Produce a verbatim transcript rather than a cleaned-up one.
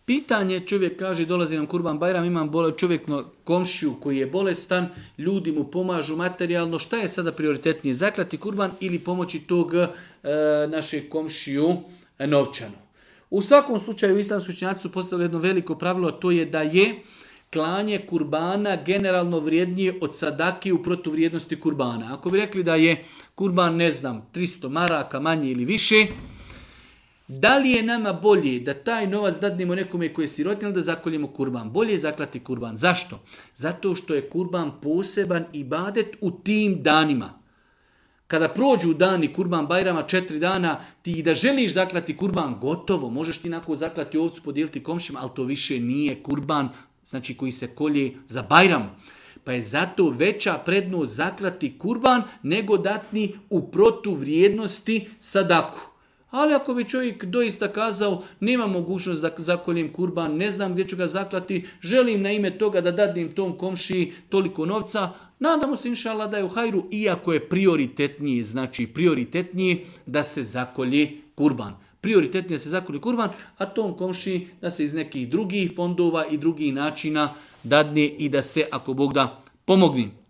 Pitanje, čovjek kaže, dolazi nam Kurban Bajram, imam bole, čovjek komšiju koji je bolestan, ljudi mu pomažu materijalno, šta je sada prioritetnije, zaklati kurban ili pomoći tog e, našeg komšiju e, novčano? U svakom slučaju islamski učenjaci su postavili jedno veliko pravilo, to je da je klanje kurbana generalno vrijednije od sadake u protuvrijednosti kurbana. Ako bi rekli da je kurban, ne znam, tristo maraka manje ili više, da li je nama bolje da taj novac dadnemo nekome koji je sirotin ili da zakoljemo kurban? Bolje je zaklati kurban. Zašto? Zato što je kurban poseban ibadet u tim danima. Kada prođu dani Kurban Bajrama, četiri dana, ti da želiš zaklati kurban, gotovo. Možeš ti nakon zaklati ovcu, podijeliti komšima, ali to više nije kurban, znači koji se kolje za Bajram. Pa je zato veća prednost zaklati kurban nego datni u protuvrijednosti sadaku. Ali ako bi čovjek doista kazao, nema mogućnost da zakoljem kurban, ne znam gdje ću ga zaklati, želim na ime toga da dadnem tom komšiji toliko novca, nadamo se inša Allah da je u hajru, iako je prioritetnije, znači prioritetnije da se zakolje kurban. Prioritetnije da se zakolje kurban, a tom komšiji da se iz nekih drugih fondova i drugih načina dadne i da se, ako Bog da, pomogne.